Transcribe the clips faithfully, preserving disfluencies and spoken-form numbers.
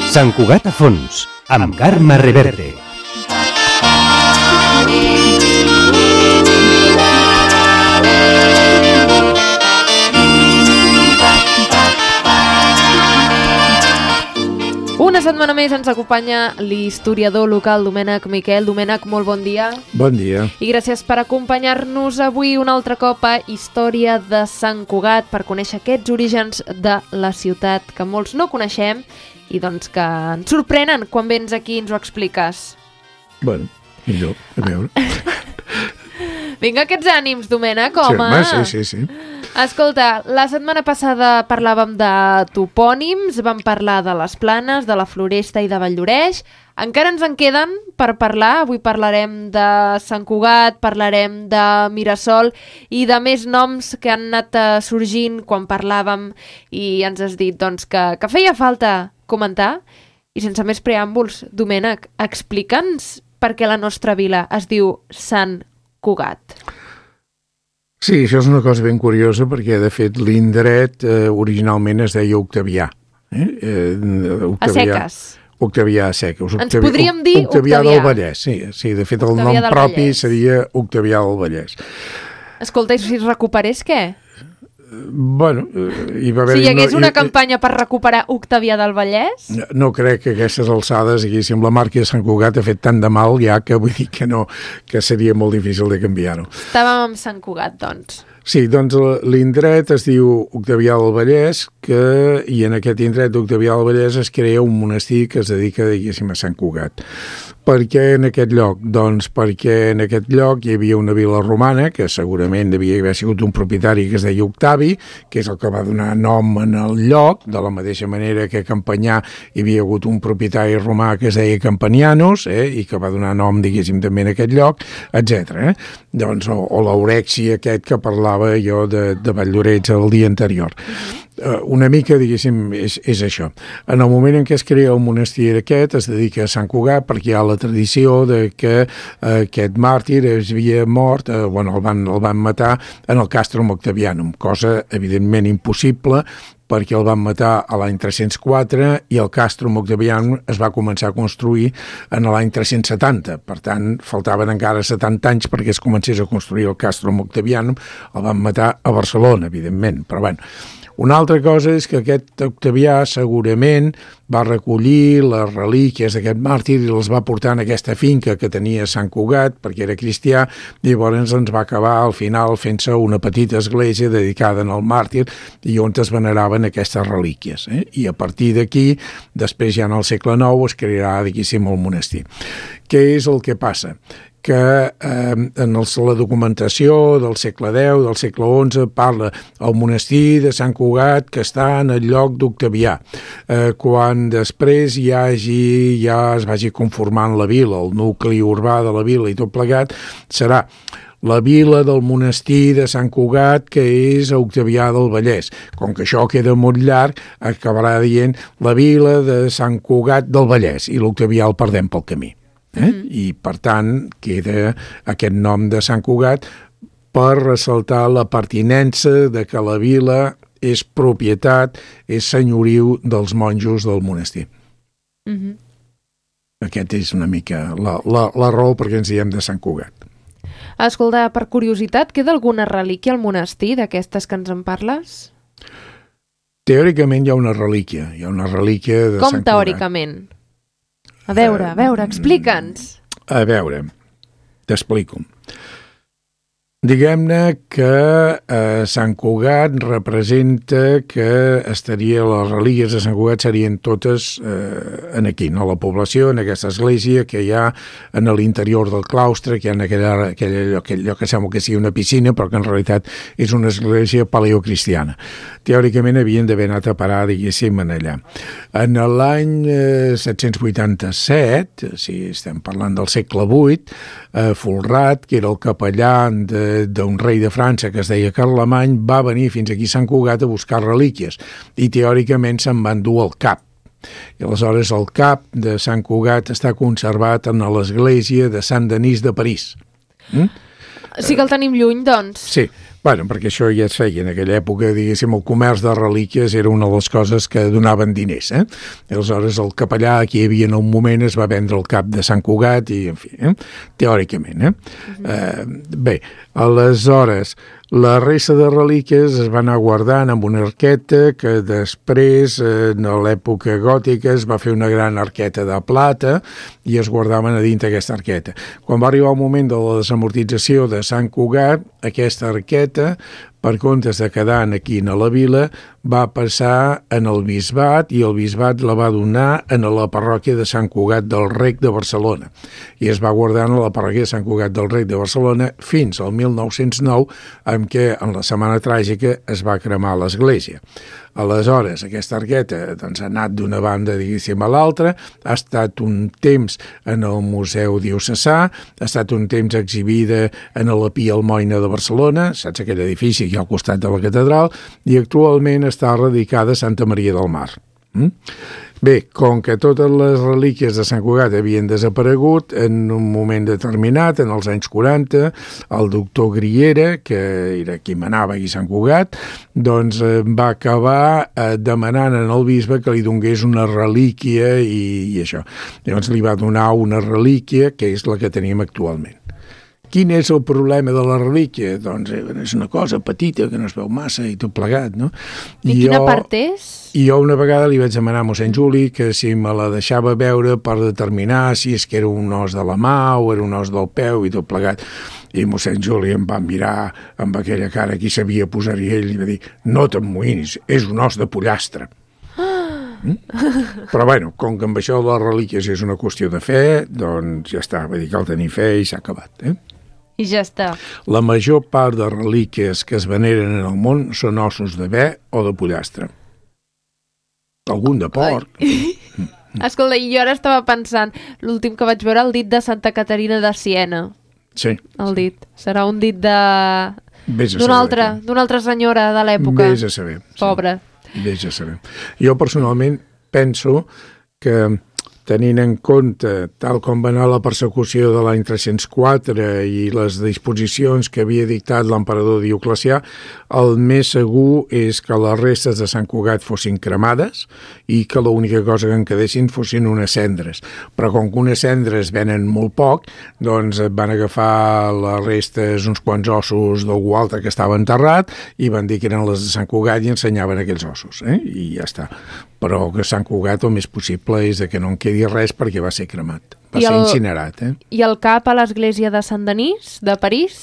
Sant Cugat a fons, amb Carme Reverte. Una setmana més ens acompanya l'historiador local Domènec Miquel. Domènec, molt bon dia. Bon dia. I gràcies per acompanyar-nos avui un altre cop a Història de Sant Cugat per conèixer aquests orígens de la ciutat que molts no coneixem i doncs que ens sorprenen quan vens aquí i ens ho expliques. Bueno, millor, a veure. Vinga, aquests ànims, Domènec, home. Sí, sí, sí, sí. Escolta, la setmana passada parlàvem de topònims, vam parlar de les Planes, de la Floresta i de Valldoreix. Encara ens en queden per parlar. Avui parlarem de Sant Cugat, parlarem de Mirasol i de més noms que han anat sorgint quan parlàvem i ens has dit doncs, que, que feia falta comentar. I sense més preàmbuls, Domènec, explica'ns per què la nostra vila es diu Sant Cugat. Sí, això és una cosa ben curiosa perquè, de fet, l'indret eh, originalment es deia Octavià. Eh? Eh, Octavià, a seques. Octavià a seques. Octavià, Ens podríem dir Octavià. Octavià del Vallès, sí. sí. De fet, el Octavià nom propi Vallès. seria Octavià del Vallès. Escolta, i si es recuperés, què? Bueno, hi va haver... Si hi hagués no, una hi, campanya per recuperar Octavià del Vallès? No crec que a aquestes alçades, diguéssim, la marca de Sant Cugat ha fet tant de mal ja que vull dir que no, que seria molt difícil de canviar-ho. Estàvem amb Sant Cugat, doncs. Sí, doncs l'indret es diu Octavià del Vallès, que, i en aquest indret d'Octavià del Vallès es crea un monestir que es dedica, diguéssim, a Sant Cugat. Per què en aquest lloc? Doncs perquè en aquest lloc hi havia una vila romana, que segurament devia haver sigut un propietari que es deia Octavi, que és el que va donar nom en el lloc, de la mateixa manera que a Campanyà hi havia hagut un propietari romà que es deia Campanianos, eh, i que va donar nom, diguéssim, també en aquest lloc, etcètera. Eh? Doncs, o, o l'Aurexi aquest que parlava jo de, de Valldoreix el dia anterior. Uh, una mica, diguéssim, és, és això. En el moment en què es crea el monestir aquest, es dedica a Sant Cugat perquè hi ha la tradició de que uh, aquest màrtir es havia mort, uh, bueno, el van, el van matar en el Castrum Octavianum, cosa evidentment impossible perquè el van matar a l'any tres-cents quatre i el Castrum Octavianum es va començar a construir en l'any tres-cents setanta. Per tant, faltaven encara setanta anys perquè es comencés a construir el Castrum Octavianum. El van matar a Barcelona, evidentment, però bueno. Una altra cosa és que aquest Octavià segurament va recollir les relíquies d'aquest màrtir i les va portar en aquesta finca que tenia Sant Cugat perquè era cristià i llavors ens va acabar al final fent-se una petita església dedicada al màrtir i on es veneraven aquestes relíquies. Eh? I a partir d'aquí, després ja en el segle nou es crearà, diguéssim, el monestir. Què és el que passa? Que eh, en el, la documentació del segle deu, del segle onze, parla el monestir de Sant Cugat que està en el lloc d'Octavià. Eh, quan després hi hagi, ja es vagi conformant la vila, el nucli urbà de la vila i tot plegat, serà la vila del monestir de Sant Cugat, que és a Octavià del Vallès. Com que això queda molt llarg, acabarà dient la vila de Sant Cugat del Vallès i l'Octavià el perdem pel camí. Eh? Mm-hmm. I per tant queda aquest nom de Sant Cugat per ressaltar la pertinença de que la vila és propietat, és senyoriu dels monjos del monestir. Mm-hmm. Aquest és una mica la, la, la raó perquè ens diem de Sant Cugat. Escolta, per curiositat, queda alguna relíquia al monestir d'aquestes que ens en parles? Teòricament hi ha una relíquia, hi ha una relíquia de Com Sant Cugat. Com teòricament? A veure, a veure, explica'ns. A veure, t'explico. Diguem-ne que eh, Sant Cugat representa que estaria, les relíquies de Sant Cugat serien totes eh, en aquí, no? La població, en aquesta església que hi ha en l'interior del claustre, que hi ha en aquella, aquella, allò, aquell lloc que sembla que sigui una piscina, però que en realitat és una església paleocristiana. Teòricament havien d'haver anat a parar, diguéssim, en allà. En l'any eh, set-cents vuitanta-set, si estem parlant del segle vuit, eh, Folrat, que era el capellà de d'un rei de França que es deia Carlemany, va venir fins aquí a Sant Cugat a buscar relíquies i teòricament se'n van dur el cap. I aleshores el cap de Sant Cugat està conservat en l'església de Sant Denis de París. Mm? Sí que el tenim lluny, doncs. Sí, Bueno, perquè això ja es feia en aquella època, diguéssim, el comerç de relíquies era una de les coses que donaven diners, eh? Aleshores, el capellà que hi havia en un moment es va vendre el cap de Sant Cugat i, en fi, eh? teòricament, eh? Uh-huh. eh bé, aleshores, la resta de relíquies es van anar guardant amb una arqueta que després, en l'època gòtica, es va fer una gran arqueta de plata i es guardaven a dintre aquesta arqueta. Quan va arribar el moment de la desamortització de Sant Cugat, aquesta arqueta, per comptes de quedar aquí a la vila, va passar en el bisbat i el bisbat la va donar en la parròquia de Sant Cugat del Rec de Barcelona. I es va guardar en la parròquia de Sant Cugat del Rec de Barcelona fins al mil nou-cents nou, en què en la Setmana Tràgica es va cremar l'església. Aleshores, aquesta arqueta doncs, ha anat d'una banda, diguéssim, a l'altra, ha estat un temps en el Museu Diocesà, ha estat un temps exhibida en la Pia Almoina de Barcelona, saps aquell edifici aquí al costat de la catedral, i actualment està radicada a Santa Maria del Mar. Mm? Bé, com que totes les relíquies de Sant Cugat havien desaparegut, en un moment determinat, en els anys quaranta, el doctor Griera, que era qui manava aquí a Sant Cugat, doncs eh, va acabar eh, demanant en el bisbe que li donés una relíquia i, i això. Llavors li va donar una relíquia, que és la que tenim actualment. Quin és el problema de la relíquia? Doncs eh, és una cosa petita que no es veu massa i tot plegat, no? I, I quina jo, part és? I jo una vegada li vaig demanar a mossèn Juli que si me la deixava veure per determinar si és que era un os de la mà o era un os del peu i tot plegat. I mossèn Juli em va mirar amb aquella cara que hi sabia posar-hi ell i va dir, no t'emmoïnis, és un os de pollastre. Mm? Però bueno, com que amb això de les relíquies és una qüestió de fe, doncs ja està, vull dir que cal tenir fe i s'ha acabat, eh? I ja està. La major part de relíquies que es veneren en el món són ossos de bé o de pollastre. Algun de porc. Escolta, jo ara estava pensant, l'últim que vaig veure, el dit de Santa Caterina de Siena. Sí. El dit. Serà un dit de... d'una altra, d'una altra senyora de l'època. Vés a saber. Pobra. Sí. Vés a saber. Jo personalment penso que tenint en compte, tal com va anar la persecució de l'any tres-cents quatre i les disposicions que havia dictat l'emperador Dioclecià, el més segur és que les restes de Sant Cugat fossin cremades i que l'única cosa que en quedessin fossin unes cendres. Però com que unes cendres venen molt poc, doncs van agafar les restes, uns quants ossos d'algú altre que estava enterrat i van dir que eren les de Sant Cugat i ensenyaven aquells ossos, eh? I ja està. Però que Sant Cugat el més possible és que no en quedi res perquè va ser cremat, va I ser el, incinerat. Eh? I el cap a l'església de Sant Denis, de París?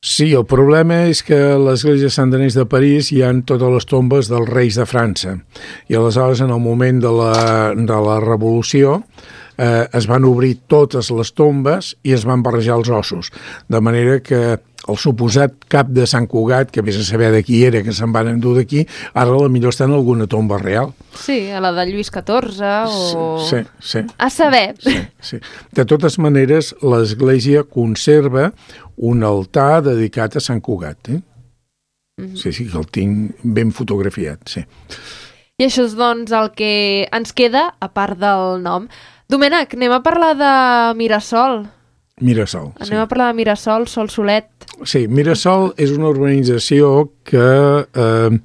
Sí, el problema és que a l'església de Sant Denis de París hi ha totes les tombes dels reis de França. I aleshores, en el moment de la, de la Revolució, eh, es van obrir totes les tombes i es van barrejar els ossos. De manera que el suposat cap de Sant Cugat, que vés a saber de qui era, que se'n van endur d'aquí, ara a la millor està en alguna tomba real. Sí, a la de Lluís catorze o... Sí, sí. A saber. Sí, sí. De totes maneres, l'Església conserva un altar dedicat a Sant Cugat. Eh? Mm-hmm. Sí, sí, que el tinc ben fotografiat, sí. I això és, doncs, el que ens queda, a part del nom. Domènec, anem a parlar de Mirasol. Mirasol, Anem sí. a parlar de Mirasol, Sol Solet. Sí, Mirasol és una urbanització que eh,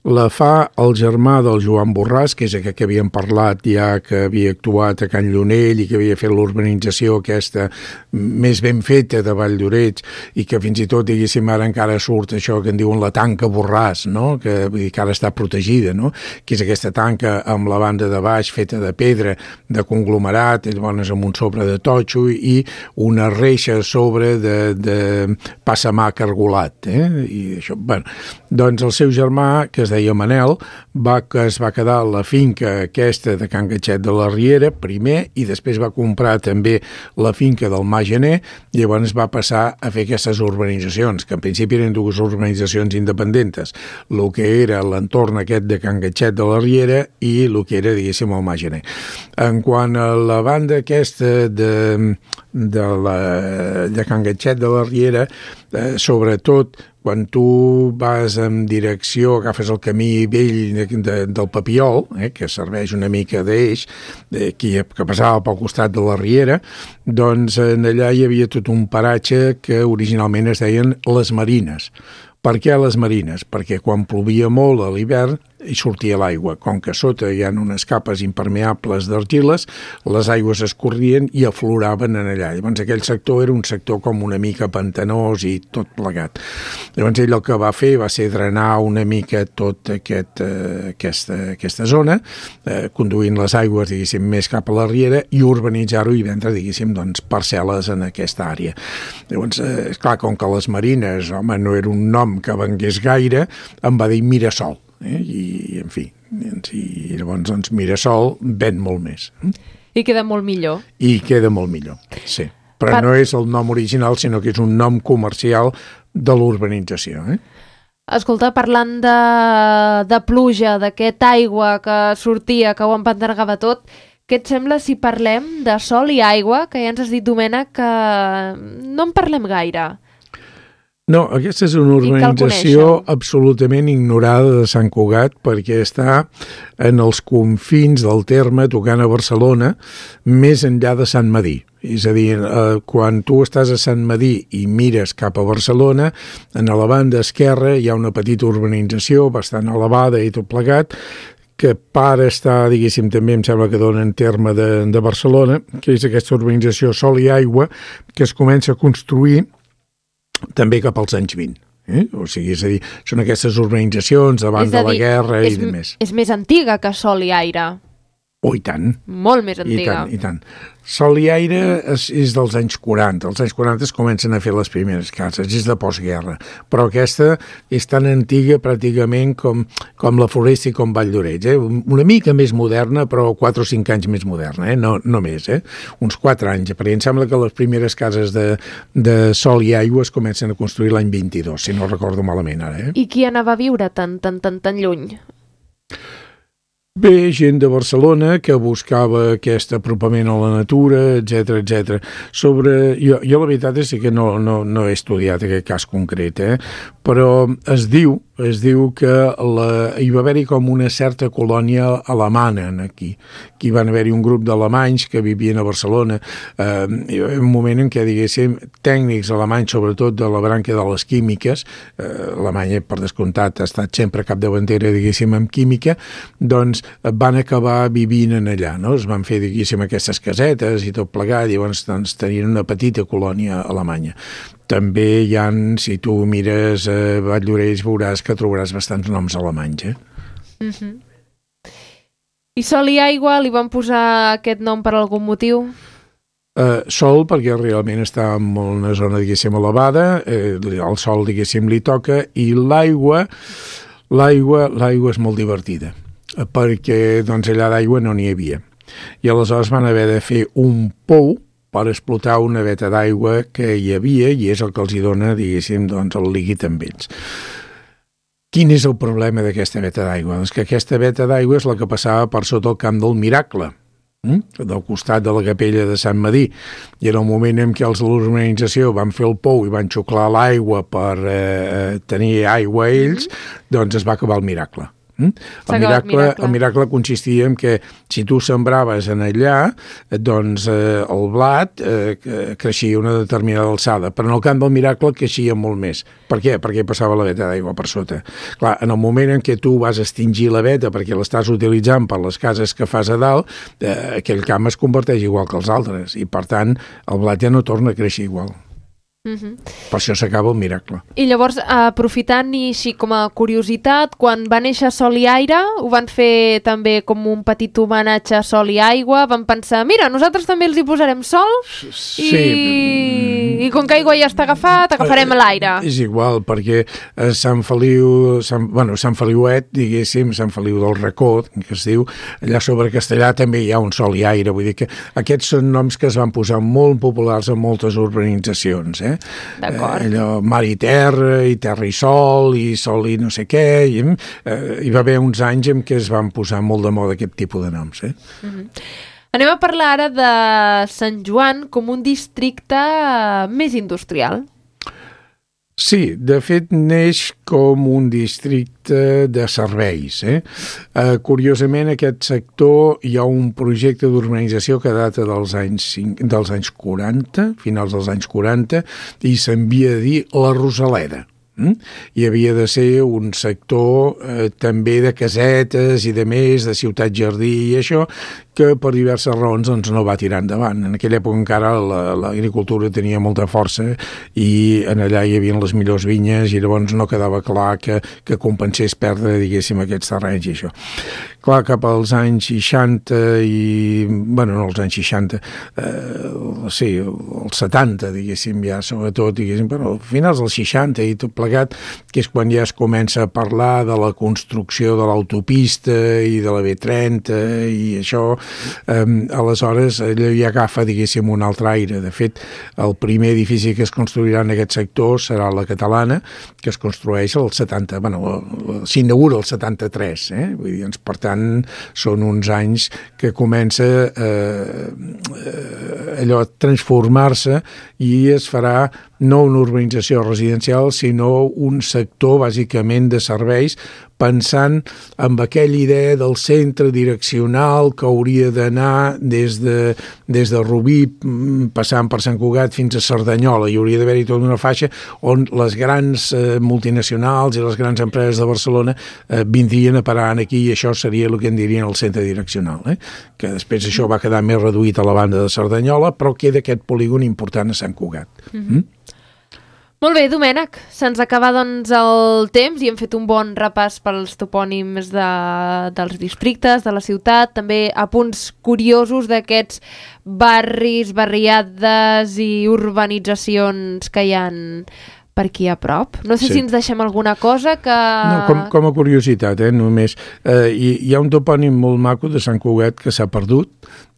la fa el germà del Joan Borràs, que és aquell que havíem parlat ja, que havia actuat a Can Llonell i que havia fet l'urbanització aquesta més ben feta de Vall d'Oreig i que fins i tot, diguéssim, ara encara surt això que en diuen la tanca Borràs, no? Que, vull dir, que ara està protegida, no? Que és aquesta tanca amb la banda de baix feta de pedra, de conglomerat, llavors amb un sobre de totxo i una reixa a sobre de, de passamà cargolat, eh? I això, bueno, doncs el seu germà, que es deia Manel, va, que es va quedar a la finca aquesta de Can Gatxet de la Riera primer i després va comprar també la finca del Mà Gener i llavors va passar a fer aquestes urbanitzacions, que en principi eren dues urbanitzacions independentes, el que era l'entorn aquest de Can Gatxet de la Riera i el que era, diguéssim, el Mà Gener. En quant a la banda aquesta de, de, la, de Can Gatxet de la Riera, eh, sobretot quan tu vas en direcció, agafes el camí vell de, de, del Papiol, eh, que serveix una mica d'eix, que, que passava pel costat de la Riera, doncs en allà hi havia tot un paratge que originalment es deien les Marines. Per què les Marines? Perquè quan plovia molt a l'hivern hi sortia l'aigua. Com que sota hi ha unes capes impermeables d'argiles, les aigües escorrien i afloraven en allà. Llavors aquell sector era un sector com una mica pantanós i tot plegat. Llavors ell el que va fer va ser drenar una mica tot aquest, eh, aquesta, aquesta zona, eh, conduint les aigües, diguéssim, més cap a la Riera i urbanitzar-ho i vendre, diguéssim, doncs, parcel·les en aquesta àrea. Llavors, eh, clar, com que les Marines, home, no era un nom que vengués gaire, em va dir Mirasol. Eh? I, en fi, i llavors doncs, Mirasol ven molt més. I queda molt millor. I queda molt millor, sí. Però per... no és el nom original, sinó que és un nom comercial de l'urbanització. Eh? Escolta, parlant de, de pluja, d'aquesta aigua que sortia, que ho empantanegava tot, què et sembla si parlem de sol i aigua, que ja ens has dit, Domènec, que no en parlem gaire? No, aquesta és una urbanització absolutament ignorada de Sant Cugat perquè està en els confins del terme, tocant a Barcelona, més enllà de Sant Medir. És a dir, eh, quan tu estàs a Sant Medir i mires cap a Barcelona, en la banda esquerra hi ha una petita urbanització bastant elevada i tot plegat, que para estar, diguéssim, també em sembla que dona en terme de, de Barcelona, que és aquesta urbanització Sol i Aigua, que es comença a construir també cap als anys vint. Eh? O sigui, és a dir, són aquestes urbanitzacions davant de la guerra i de més. És més antiga que Sol i Aire. Oh, i tant. Molt més antiga. I tant, i tant. Sol i Aire és, és dels anys quaranta. Els anys quaranta es comencen a fer les primeres cases, és de postguerra. Però aquesta és tan antiga pràcticament com, com la Floresta i com Vall d'Oreig. Eh? Una mica més moderna, però quatre o cinc anys més moderna, eh? no, no més. Eh? Uns quatre anys, perquè em sembla que les primeres cases de, de Sol i Aigua es comencen a construir l'any vint-i-dos, si no recordo malament ara. Eh? I qui anava a viure tan, tan, tan, tan lluny? Bé, gent de Barcelona que buscava aquest apropament a la natura, etcètera, etcètera. Sobre... Jo, jo la veritat és que no, no, no he estudiat aquest cas concret, eh? Però es diu, es diu que la, hi va haver-hi com una certa colònia alemana aquí. Aquí van haver-hi un grup d'alemanys que vivien a Barcelona. Eh, hi va haver un moment en què, diguéssim, tècnics alemanys, sobretot de la branca de les químiques, eh, Alemanya, per descomptat, ha estat sempre capdavantera, diguéssim, en química, doncs van acabar vivint en allà, no? Es van fer, diguéssim, aquestes casetes i tot plegat, i llavors doncs, tenien una petita colònia alemanya. També hi ha, si tu mires a eh, Vall d'Oreig, veuràs que trobaràs bastants noms alemanys, eh? Mm-hmm. I Sol i Aigua li van posar aquest nom per algun motiu? Uh, sol, perquè realment està en una zona, diguéssim, elevada, eh, el sol, diguéssim, li toca, i l'aigua, l'aigua, l'aigua és molt divertida, perquè doncs, allà d'aigua no n'hi havia. I aleshores van haver de fer un pou per explotar una veta d'aigua que hi havia i és el que els hi dona, diguéssim, doncs, el líquid amb ells. Quin és el problema d'aquesta veta d'aigua? Doncs que aquesta veta d'aigua és la que passava per sota el Camp del Miracle, hm? del costat de la capella de Sant Medir. I en el moment en què els de l'urbanització van fer el pou i van xuclar l'aigua per eh, tenir aigua a ells, doncs es va acabar el miracle. El miracle, miracle. el miracle consistia en que si tu sembraves en allà, doncs eh, el blat eh, creixia una determinada alçada, però en el camp del miracle creixia molt més. Per què? Perquè passava la veta d'aigua per sota. Clar, en el moment en què tu vas extingir la veta perquè l'estàs utilitzant per les cases que fas a dalt, eh, aquell camp es converteix igual que els altres i per tant el blat ja no torna a créixer igual. Uh-huh. Per això s'acaba el miracle. I llavors, aprofitant i així com a curiositat, quan va néixer Sol i Aire, ho van fer també com un petit homenatge a Sol i Aigua, van pensar, mira, nosaltres també els hi posarem sol sí. i... i com que aigua ja està agafat, agafarem l'aire. És igual, perquè Sant Feliu, Sant, bueno, Sant Feliuet, diguéssim, Sant Feliu del Racó, que es diu, allà sobre Castellà també hi ha un Sol i Aire, vull dir que aquests són noms que es van posar molt populars en moltes urbanitzacions, eh? D'acord. Eh, allò, mar i terra, i terra i sol, i sol i no sé què, i eh, hi va haver uns anys en què es van posar molt de moda aquest tipus de noms. Eh? Mm-hmm. Anem a parlar ara de Sant Joan com un districte més industrial. Sí, de fet neix com un districte de serveis. Eh? Uh, curiosament, en aquest sector hi ha un projecte d'urbanització que data dels anys, dels anys quaranta, finals dels anys quaranta, i s'envia a dir la Rosaleda. Mm? I havia de ser un sector eh, també de casetes i de més, de ciutat jardí i això, que per diverses raons doncs, no va tirar endavant. En aquella època encara l'agricultura tenia molta força i en allà hi havia les millors vinyes i llavors no quedava clar que, que compensés perdre, diguéssim, aquests terrenys i això. Clar, cap als anys seixanta i... bueno, no els anys seixanta, eh, sí, els setanta, diguéssim, ja sobretot, diguéssim, però al finals dels seixanta i tot plegat, que és quan ja es comença a parlar de la construcció de l'autopista i de la B trenta i això, eh, aleshores allò ja agafa, diguéssim, un altre aire. De fet, el primer edifici que es construirà en aquest sector serà la Catalana, que es construeix al setanta, bueno, s'inaugura el setanta-tres, eh? Vull dir, per tant, són uns anys que comença eh, eh, allò a transformar-se i es farà no una urbanització residencial, sinó un sector bàsicament de serveis, pensant en aquella idea del centre direccional que hauria d'anar des de, des de Rubí, passant per Sant Cugat fins a Cerdanyola. Hi hauria d'haver-hi tota una faixa on les grans eh, multinacionals i les grans empreses de Barcelona eh, vindrien a parar aquí i això seria el que en dirien el centre direccional. Eh? Que després això va quedar més reduït a la banda de Cerdanyola, però queda aquest polígon important a Sant Cugat. Mm-hmm. Mm? Molt bé, Domènec, se'ns acaba doncs el temps i hem fet un bon repàs pels topònims de, dels districtes, de la ciutat, també a punts curiosos d'aquests barris, barriades i urbanitzacions que hi han per aquí a prop. No sé sí. si ens deixem alguna cosa que... No, com, com a curiositat, eh, només. Eh, hi, hi ha un topònim molt maco de Sant Cugat que s'ha perdut,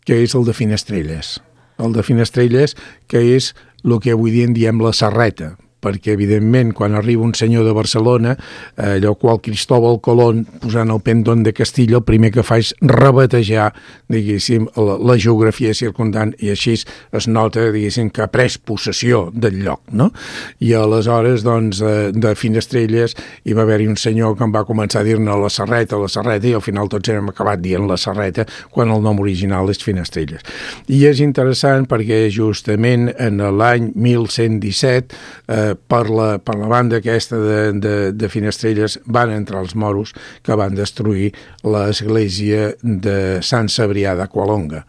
que és el de Finestrelles. El de Finestrelles, que és el que avui dia en diem la Serreta, perquè, evidentment, quan arriba un senyor de Barcelona, eh, allò qual Cristóbal Colón, posant el pendón de Castilla, el primer que fa és rebatejar, diguéssim, la, la geografia circundant, i així es nota, diguéssim, que ha pres possessió del lloc, no? I aleshores, doncs, de, de Finestrelles, hi va haver-hi un senyor que em va començar a dir-ne la Serreta, la Serreta, i al final tots hem acabat dient la Serreta, quan el nom original és Finestrelles. I és interessant perquè justament en l'any mil cent disset, eh, Per la, per la banda aquesta de, de, de Finestrelles van entrar els moros que van destruir l'església de Sant Cebrià de Qualonga.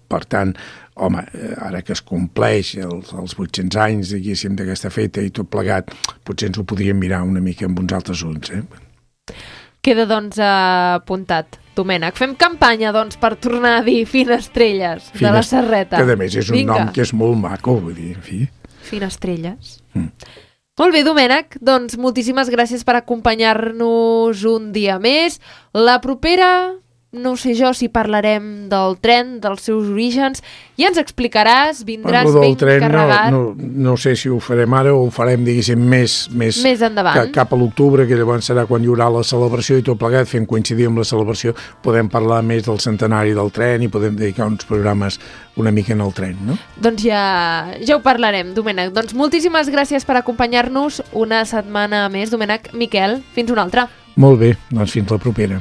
Per tant, home, ara que es compleix els, els vuit-cents anys, diguéssim, d'aquesta feta i tot plegat, potser ens ho podríem mirar una mica amb uns altres ulls. Eh? Queda, doncs, apuntat. Domènec, fem campanya, doncs, per tornar a dir Finestrelles, Fines... de la Serreta. Que, a més, és un Vinga. nom que és molt maco, vull dir, en fi... Finestrelles. Mm. Molt bé, Domènec, doncs moltíssimes gràcies per acompanyar-nos un dia més. La propera, no sé jo si parlarem del tren, dels seus orígens, ja ens explicaràs, vindràs ben tren, carregat. No, no, no sé si ho farem ara o ho farem, diguéssim, més, més, més endavant. Ca, cap a l'octubre, que llavors serà quan hi haurà la celebració i tot plegat, fent coincidir amb la celebració, podem parlar més del centenari del tren i podem dedicar uns programes una mica en el tren, no? Doncs ja, ja ho parlarem, Domènec. Doncs moltíssimes gràcies per acompanyar-nos una setmana més, Domènec. Miquel, fins una altra. Molt bé, doncs fins la propera.